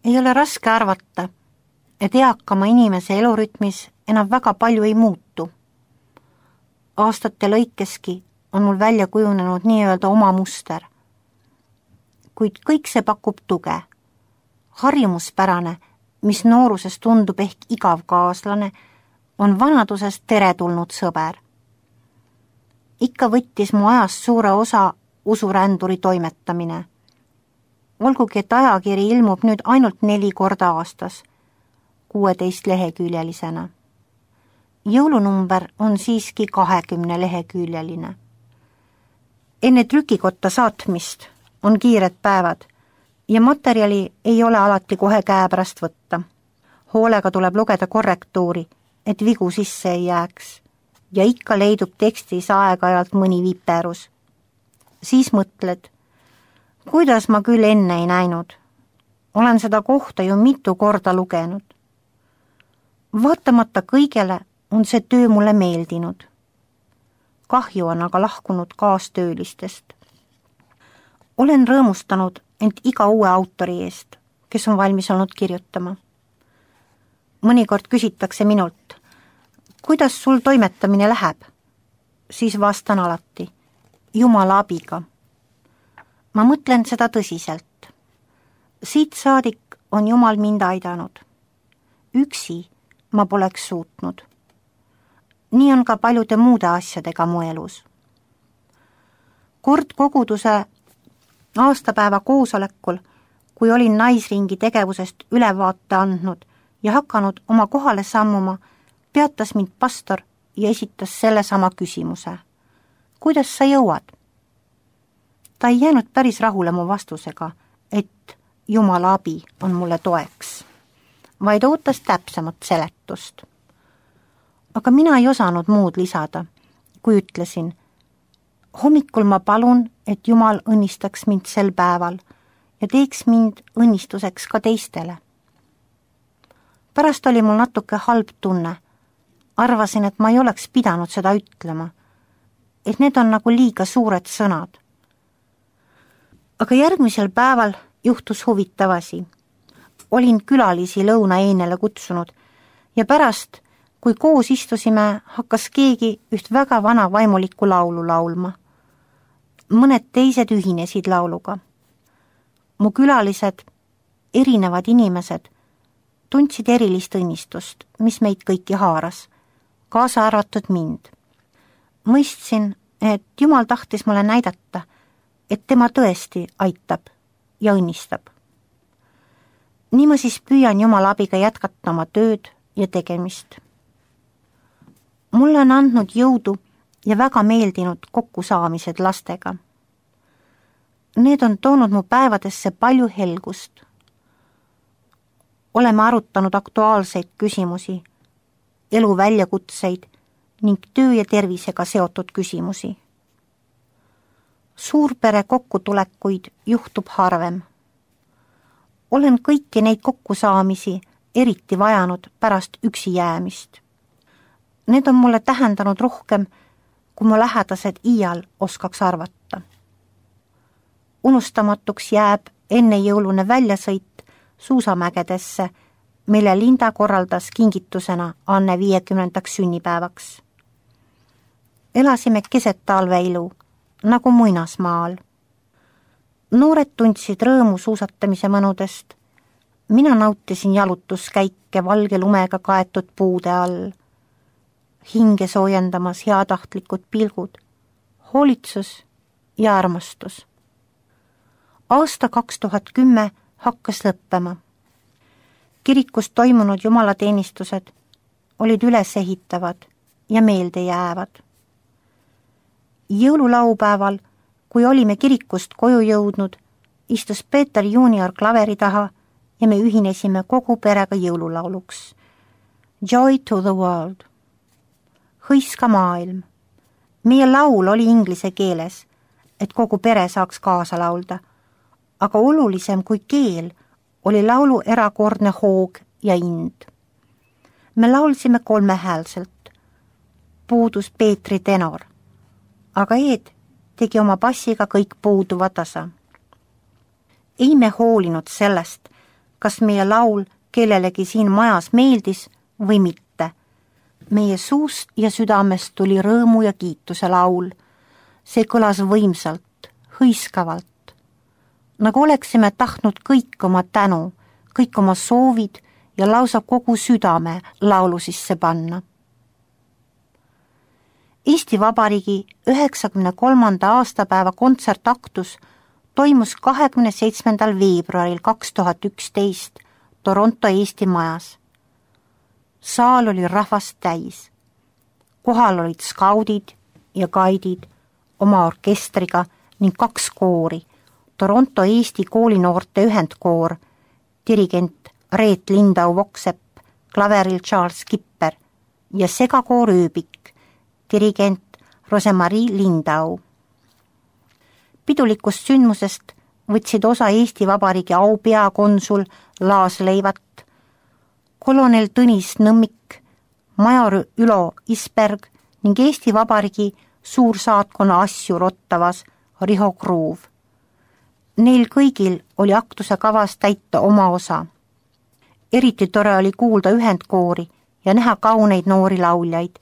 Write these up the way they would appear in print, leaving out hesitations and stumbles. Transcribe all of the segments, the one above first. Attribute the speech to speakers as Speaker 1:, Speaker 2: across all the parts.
Speaker 1: Ei ole raske arvata, et eakama inimese elurütmis enam väga palju ei muutu. Aastate lõikeski on mul välja kujunenud nii-öelda oma muster. Kuid kõik see pakub tuge. Harjumuspärane, mis nooruses tundub ehk igav kaaslane, on vanaduses teretulnud sõber. Ikka võttis mu ajast suure osa usuränduri toimetamine. Olgugi, et ajakiri ilmub nüüd ainult 4 korda aastas, 16 leheküljelisena. Jõulunumber on siiski 20 leheküljeline. Enne trükikotta saatmist on kiired päevad ja materjali ei ole alati kohe käepärast võtta. Hoolega tuleb lugeda korrektuuri, et vigu sisse ei jääks ja ikka leidub tekstis aeg-ajalt mõni viperus. Siis mõtled, kuidas ma küll enne ei näinud. Olen seda kohta ju mitu korda lugenud. Vaatamata kõigele on see töö mulle meeldinud. Kahju on aga lahkunud kaastöölistest. Olen rõõmustanud end iga uue autori eest, kes on valmis olnud kirjutama. Mõnikord küsitakse minult, kuidas sul toimetamine läheb? Siis vastan alati, Jumala abiga. Ma mõtlen seda tõsiselt. Siit saadik on Jumal mind aidanud. Üksi ma poleks suutnud. Nii on ka paljude muude asjadega mu elus. Kord koguduse aastapäeva koosolekul, kui olin naisringi tegevusest ülevaate andnud ja hakanud oma kohale sammuma, peatas mind pastor ja esitas sellesama küsimuse. Kuidas sa jõuad? Ta ei jäänud päris rahule mu vastusega, et Jumala abi on mulle toeks, vaid ootas täpsemat seletust. Aga mina ei osanud muud lisada, kui ütlesin, hommikul ma palun, et Jumal õnnistaks mind sel päeval ja teeks mind õnnistuseks ka teistele. Pärast oli mul natuke halb tunne. Arvasin, et ma ei oleks pidanud seda ütlema, et need on nagu liiga suured sõnad. Aga järgmisel päeval juhtus huvitav asi. Olin külalisi lõunaeinele kutsunud ja pärast, kui koos istusime, hakkas keegi üht väga vana vaimulikku laulu laulma. Mõned teised ühinesid lauluga. Mu külalised, erinevad inimesed, tundsid erilist õnnistust, mis meid kõiki haaras, kaasa arvatud mind. Mõistsin, et Jumal tahtis mulle näidata, et tema tõesti aitab ja õnnistab. Nii ma siis püüan Jumala abiga jätkata oma tööd ja tegemist. Mulle on andnud jõudu ja väga meeldinud kokkusaamised lastega. Need on toonud mu päevadesse palju helgust. Oleme arutanud aktuaalseid küsimusi, elu väljakutseid ning töö ja tervisega seotud küsimusi. Suurpere kokkutulekuid juhtub harvem. Olen kõiki neid kokkusaamisi eriti vajanud pärast üksi jäämist. Need on mulle tähendanud rohkem, kui mu lähedased iial oskaks arvata. Unustamatuks jääb enne jõulune väljasõit suusamägedesse, mille Linda korraldas kingitusena Anne 50. sünnipäevaks. Elasime keset talveilu, nagu muinasmaal. Noored tundsid rõõmu suusatamise mõnudest. Mina nautisin jalutuskäike valge lumega kaetud puude all. Hinge soojendamas heatahtlikud pilgud, hoolitsus ja armastus. Aasta 2010 hakkas lõppema. Kirikus toimunud jumalateenistused olid ülesehitavad ja meelde jäävad. Jõululaupäeval, kui olime kirikust koju jõudnud, istus Peeter Junior klaveri taha ja me ühinesime kogu perega jõululauluks. Joy to the world. Hõiska maailm. Meie laul oli inglise keeles, et kogu pere saaks kaasa laulda, aga olulisem kui keel oli laulu erakordne hoog ja ind. Me laulsime kolmehäälselt. Puudus Peetri tenor, aga Eed tegi oma bassiga kõik puuduva tasa. Ei me hoolinud sellest, kas meie laul kellelegi siin majas meeldis või mitte. Meie suust ja südamest tuli rõõmu ja kiituse laul. See kõlas võimsalt, hõiskavalt, nagu oleksime tahtnud kõik oma tänu, kõik oma soovid ja lausa kogu südame laulu sisse panna. Eesti Vabariigi 93. aastapäeva kontsertaktus toimus 27. veebruaril 2011 Toronto Eesti Majas. Saal oli rahvast täis. Kohal olid skaudid ja gaidid oma orkestriga ning 2 koori, Toronto Eesti koolinoorte ühendkoor, dirigent Reet Lindau-Voksepp, klaveril Charles Kipper ja segakoor Ööbik, dirigent Rosemarie Lindau. Pidulikust sündmusest võtsid osa Eesti Vabariigi aupeakonsul Laas Leivat, kolonel Tõnis Nõmmik, major Ülo Isberg ning Eesti Vabariigi suursaatkonna asjur Ottavas Riho Kruuv. Neil kõigil oli aktuse kavas täita oma osa. Eriti tore oli kuulda ühendkoori ja näha kauneid noori lauljaid,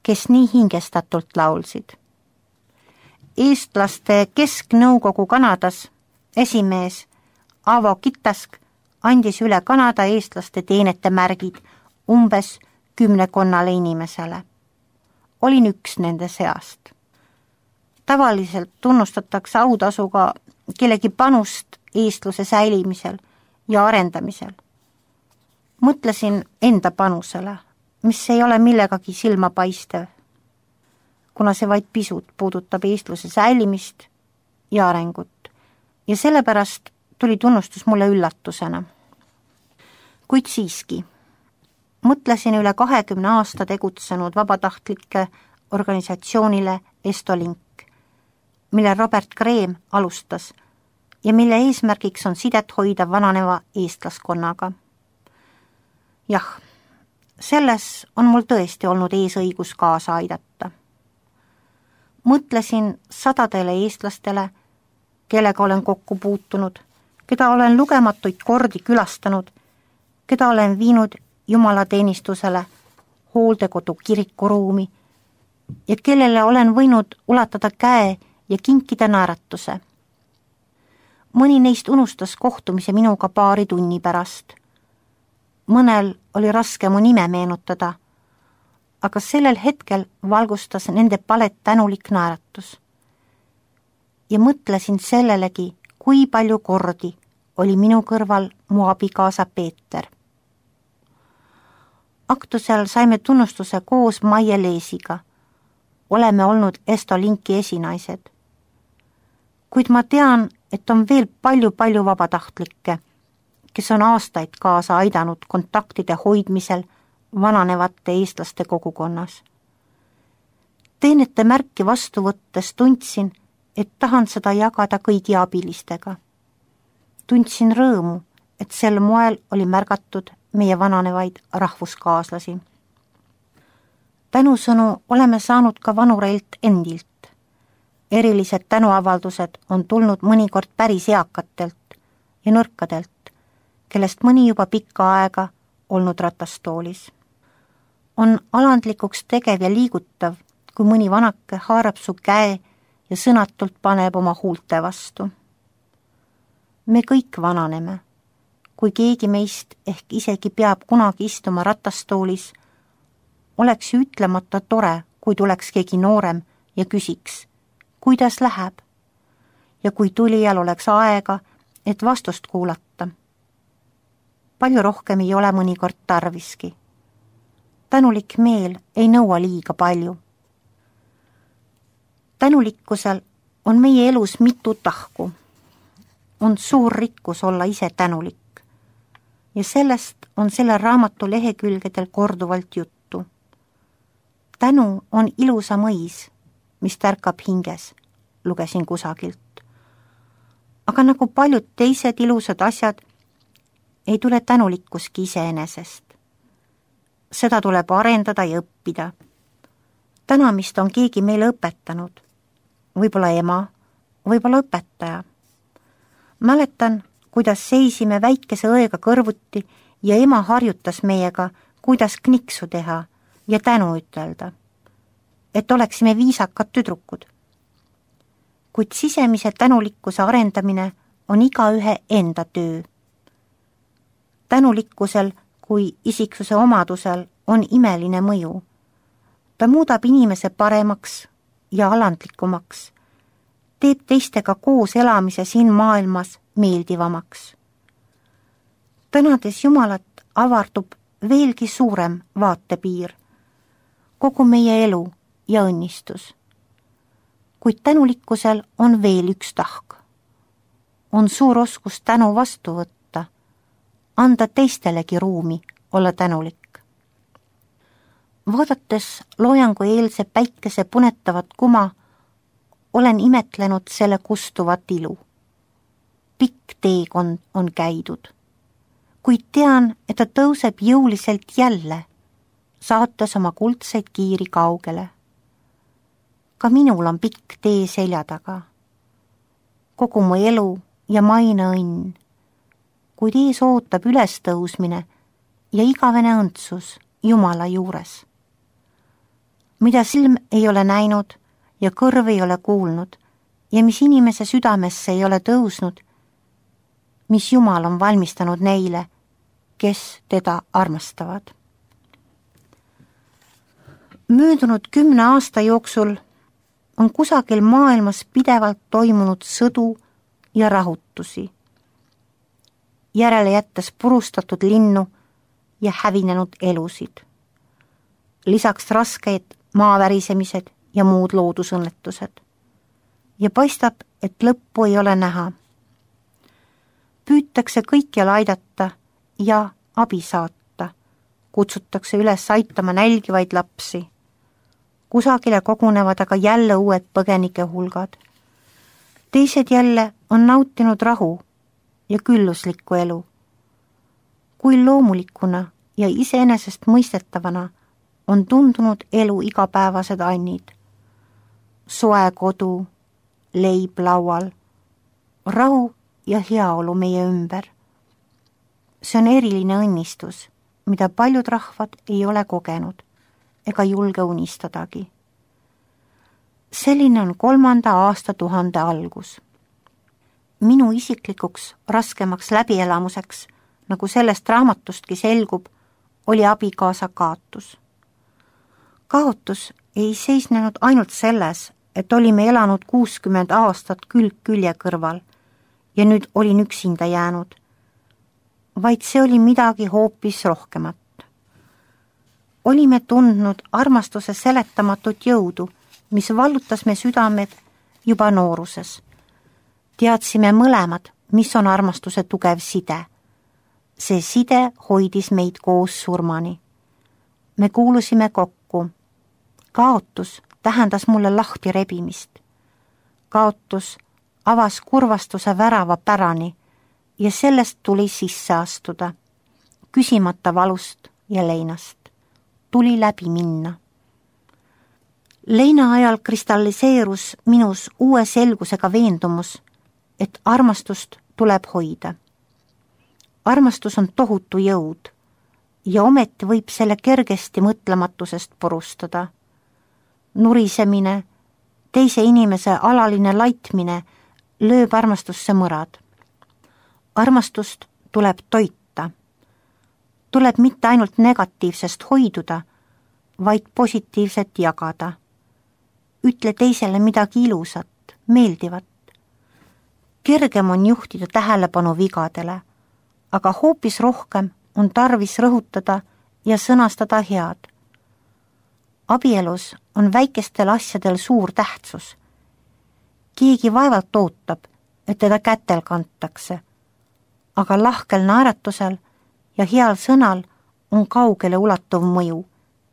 Speaker 1: kes nii hingestatult laulsid. Eestlaste Kesknõukogu Kanadas esimees Avo Kitask andis üle Kanada eestlaste teenete märgid umbes 10 inimesele. Olin üks nende seast. Tavaliselt tunnustatakse autasuga kellegi panust eestluse säilimisel ja arendamisel. Mõtlesin enda panusele, mis ei ole millegagi silmapaistev, kuna see vaid pisut puudutab eestluse säilimist ja arengut ja sellepärast tuli tunnustus mulle üllatusena. Kuid siiski, mõtlesin üle 20 aasta tegutsenud vabatahtlike organisatsioonile Estolink, mille Robert Kreem alustas ja mille eesmärgiks on sidet hoida vananeva eestlaskonnaga. Jah, selles on mul tõesti olnud eesõigus kaasa aidata. Mõtlesin 100 eestlastele, kellega olen kokku puutunud, keda olen lugematuid kordi külastanud, keda olen viinud jumalateenistusele, hooldekodu kirikuruumi ja kellele olen võinud ulatada käe ja kinkida naeratuse. Mõni neist unustas kohtumise minuga paari tunni pärast. Mõnel oli raske mu nime meenutada, aga sellel hetkel valgustas nende palet tänulik naeratus. Ja mõtlesin sellelegi, kui palju kordi oli minu kõrval mu abikaasa Peeter. Aktusel saime tunnustuse koos Maie Leesiga. Oleme olnud Estolinki esinaised. Kuid ma tean, et on veel palju vabatahtlikke, kes on aastaid kaasa aidanud kontaktide hoidmisel vananevate eestlaste kogukonnas. Teenete märki vastu võttes tundsin, et tahan seda jagada kõigi abilistega. Tundsin rõõmu, et sel moel oli märgatud meie vananevaid rahvuskaaslasi. Tänusõnu oleme saanud ka vanureilt endilt. Erilised tänuavaldused on tulnud mõnikord päris eakatelt ja nõrkadelt, kellest mõni juba pikka aega olnud ratastoolis. On alandlikuks tegev ja liigutav, kui mõni vanake haarab su käe ja sõnatult paneb oma huulte vastu. Me kõik vananeme. Kui keegi meist ehk isegi peab kunagi istuma ratastoolis, oleks ütlemata tore, kui tuleks keegi noorem ja küsiks, kuidas läheb, ja kui tulijal oleks aega, et vastust kuulata. Palju rohkem ei ole mõnikord tarviski. Tänulik meel ei nõua liiga palju. Tänulikkusel on meie elus mitu tahku. On suur rikkus olla ise tänulik. Ja sellest on selle raamatu lehekülgedel korduvalt juttu. Tänu on ilusa mõis, mis tärkab hinges, lugesin kusagilt. Aga nagu paljud teised ilusad asjad, ei tule tänulikkuski iseenesest. Seda tuleb arendada ja õppida. Tänamist on keegi meile õpetanud. Võib-olla ema, võib-olla õpetaja. Mäletan, kuidas seisime väikese õega kõrvuti ja ema harjutas meiega, kuidas kniksu teha ja tänu ütelda, et oleksime viisakad tüdrukud. Kuid sisemise tänulikkuse arendamine on igaühe enda töö. Tänulikkusel kui isiksuse omadusel on imeline mõju. Ta muudab inimese paremaks ja alandlikumaks, teeb teistega koos elamise siin maailmas meeldivamaks. Tänades Jumalat avardub veelgi suurem vaatepiir, kogu meie elu ja õnnistus. Kuid tänulikkusel on veel üks tahk. On suur oskus tänu vastu võtta, anda teistelegi ruumi olla tänulik. Vaadates loojangu eelse päikese punetavat kuma, olen imetlenud selle kustuvat ilu. Pikk teekond on käidud, kuid tean, et ta tõuseb jõuliselt jälle, saates oma kuldseid kiiri kaugele. Ka minul on pikk tee selja taga. Kogu mu elu ja maine õnn, kuid ees ootab ülestõusmine ja igavene õndsus Jumala juures. Mida silm ei ole näinud ja kõrv ei ole kuulnud ja mis inimese südamesse ei ole tõusnud, mis Jumal on valmistanud neile, kes teda armastavad. Möödunud 10 aasta jooksul on kusagil maailmas pidevalt toimunud sõdu ja rahutusi, järele jättes purustatud linnu ja hävinenud elusid. Lisaks raskeid maavärisemised ja muud loodusõnnetused. Ja paistab, et lõppu ei ole näha. Püütakse kõikjal aidata ja abi saata. Kutsutakse üles aitama nälgivaid lapsi. Kusagile kogunevad aga jälle uued põgenike hulgad. Teised jälle on nautinud rahu ja külluslikku elu. Kui loomulikuna ja iseenesest mõistetavana on tundunud elu igapäevased annid. Soe kodu, leib laual, rahu ja heaolu meie ümber. See on eriline õnnistus, mida paljud rahvad ei ole kogenud ega julge unistadagi. Selline on 3. aastatuhande algus. Minu isiklikuks raskemaks läbielamuseks, nagu sellest raamatustki selgub, oli abikaasa kaotus. Kaotus ei seisnenud ainult selles, et olime elanud 60 aastat külg külje kõrval ja nüüd olin üksinda jäänud, vaid see oli midagi hoopis rohkemat. Olime tundnud armastuse seletamatut jõudu, mis vallutas me südamed juba nooruses. Teadsime mõlemad, mis on armastuse tugev side. See side hoidis meid koos surmani. Me kuulusime kokku. Kaotus tähendas mulle lahti rebimist. Kaotus avas kurvastuse värava pärani ja sellest tuli sisse astuda, küsimata valust ja leinast. Tuli läbi minna. Leina ajal kristalliseerus minus uue selgusega veendumus, et armastust tuleb hoida. Armastus on tohutu jõud ja ometi võib selle kergesti mõtlematusest purustada. Nurisemine, teise inimese alaline laitmine lööb armastusse mõrad. Armastust tuleb toita. Tuleb mitte ainult negatiivsest hoiduda, vaid positiivset jagada. Ütle teisele midagi ilusat, meeldivat. Kergem on juhtida tähelepanu vigadele, aga hoopis rohkem on tarvis rõhutada ja sõnastada head. Abielus on väikestel asjadel suur tähtsus. Keegi vaevalt ootab, et teda kätel kantakse, aga lahkel naeratusel ja heal sõnal on kaugele ulatuv mõju,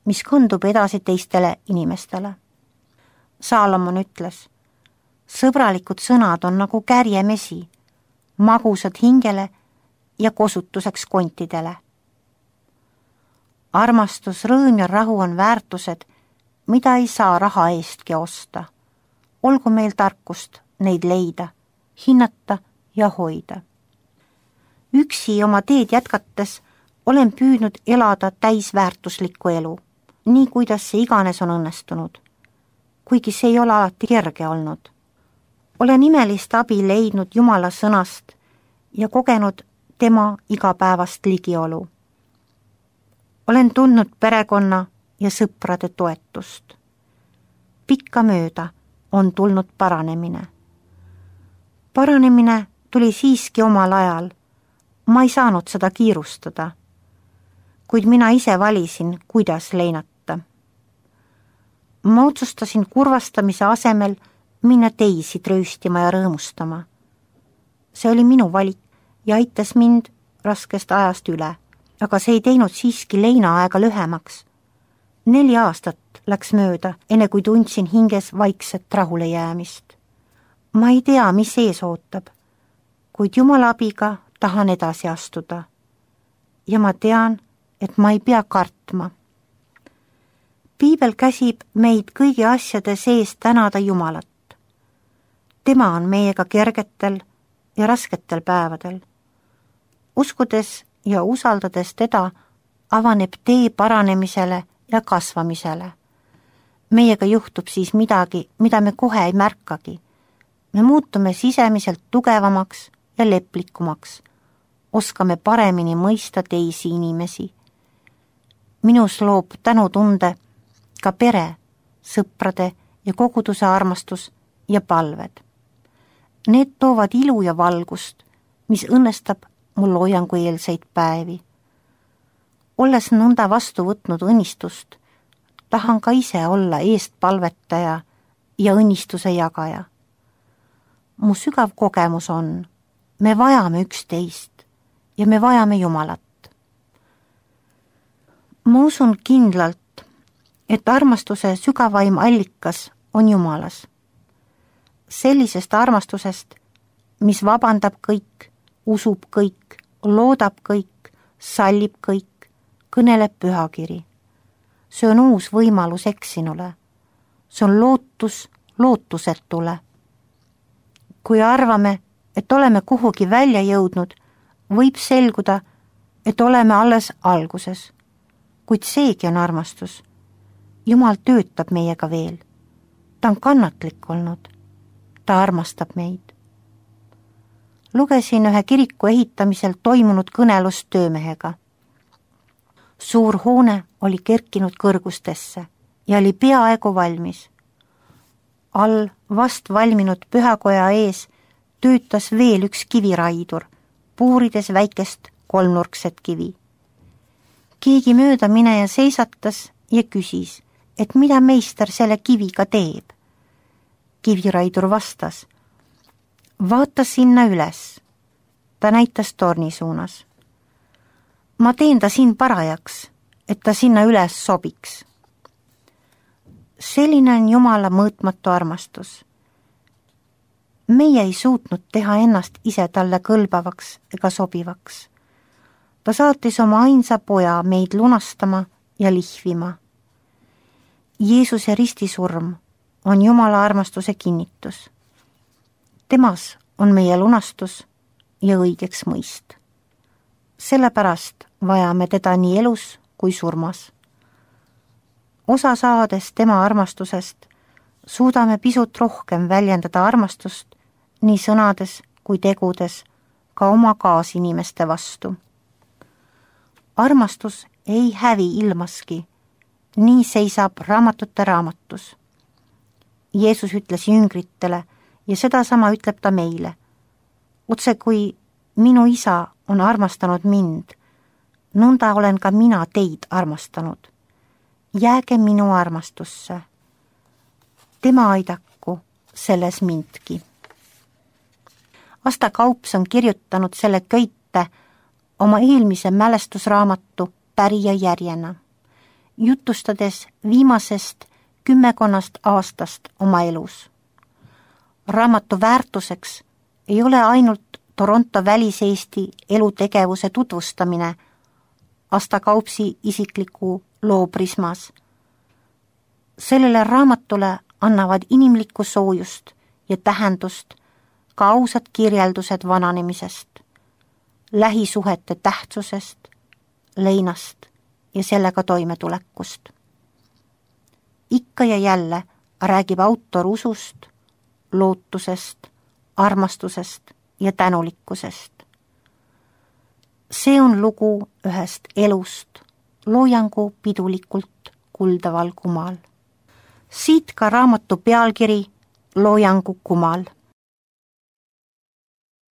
Speaker 1: mis kandub edasi teistele inimestele. Saalomon ütles, sõbralikud sõnad on nagu kärjemesi, magusad hingele ja kosutuseks kontidele. Armastus, rõõm ja rahu on väärtused, mida ei saa raha eestki osta. Olgu meil tarkust neid leida, hinnata ja hoida. Üksi oma teed jätkates olen püüdnud elada täisväärtuslikku elu, nii kuidas see iganes on õnnestunud. Kuigi see ei ole alati kerge olnud. Olen imelist abi leidnud Jumala sõnast ja kogenud tema igapäevast ligiolu. Olen tundnud perekonna ja sõprade toetust. Pikkamööda on tulnud paranemine. Paranemine tuli siiski omal ajal. Ma ei saanud seda kiirustada, kuid mina ise valisin, kuidas leinata. Ma otsustasin kurvastamise asemel minna teisi trööstima ja rõõmustama. See oli minu valik ja aitas mind raskest ajast üle, aga see ei teinud siiski leinaaega lühemaks. 4 aastat läks mööda, enne kui tundsin hinges vaikset rahule jäämist. Ma ei tea, mis ees ootab, kuid Jumala abiga tahan edasi astuda. Ja ma tean, et ma ei pea kartma. Piibel käsib meid kõigi asjade sees tänada Jumalat. Tema on meiega kergetel ja rasketel päevadel. Uskudes ja usaldades teda avaneb tee paranemisele ja kasvamisele. Meiega juhtub siis midagi, mida me kohe ei märkagi. Me muutume sisemiselt tugevamaks ja leplikumaks. Oskame paremini mõista teisi inimesi. Minus loob tänutunde ka pere, sõprade ja koguduse armastus ja palved. Need toovad ilu ja valgust, mis õnnestab mul hoiangueelseid päevi. Olles nõnda vastu võtnud õnnistust, tahan ka ise olla eestpalvetaja ja õnnistuse jagaja. Mu sügav kogemus on, me vajame üksteist ja me vajame Jumalat. Ma usun kindlalt, et armastuse sügavaim allikas on Jumalas. Sellisest armastusest, mis vabandab kõik, usub kõik, loodab kõik, sallib kõik, kõneleb pühakiri. See on uus võimalus eksinule. See on lootus lootusetule. Kui arvame, et oleme kuhugi välja jõudnud, võib selguda, et oleme alles alguses. Kuid seegi on armastus. Jumal töötab meiega veel. Ta on kannatlik olnud. Ta armastab meid. Lugesin ühe kiriku ehitamisel toimunud kõnelust töömehega. Suur hoone oli kerkinud kõrgustesse ja oli peaaegu valmis. All vast valminud pühakoja ees töötas veel üks kiviraidur, puurides väikest kolmnurkset kivi. Keegi mööda mineja seisatas ja küsis, et mida meister selle kiviga teeb. Kiviraidur vastas, vaata sinna üles. Ta näitas torni suunas. Ma teen ta siin parajaks, et ta sinna üles sobiks. Selline on Jumala mõõtmatu armastus. Meie ei suutnud teha ennast ise talle kõlbavaks ega sobivaks. Ta saatis oma ainsa poja meid lunastama ja lihvima. Jeesuse ristisurm on Jumala armastuse kinnitus. Temas on meie lunastus ja õigeks mõist. Sellepärast vajame teda nii elus kui surmas. Osa saades tema armastusest, suudame pisut rohkem väljendada armastust nii sõnades kui tegudes ka oma kaasinimeste vastu. Armastus ei hävi ilmaski, nii seisab raamatute raamatus. Jeesus ütles jüngritele ja sedasama ütleb ta meile. Otse kui minu isa on armastanud mind, nõnda olen ka mina teid armastanud. Jääge minu armastusse. Tema aidaku selles mindki. Asta Kaups on kirjutanud selle köite oma eelmise mälestusraamatu Pärija järjena, jutustades viimasest 10 aastast oma elus. Raamatu väärtuseks ei ole ainult Toronto väliseesti elutegevuse tutvustamine Asta Kaupsi isikliku loo prismas. Sellele raamatule annavad inimlikku soojust ja tähendust ka ausad kirjeldused vananemisest, lähisuhete tähtsusest, leinast ja sellega toimetulekust. Ikka ja jälle räägib autor usust, lootusest, armastusest ja tänulikkusest. See on lugu ühest elust, loojangu pidulikult kuldaval kumal. Siit ka raamatu pealkiri Loojangu kumal.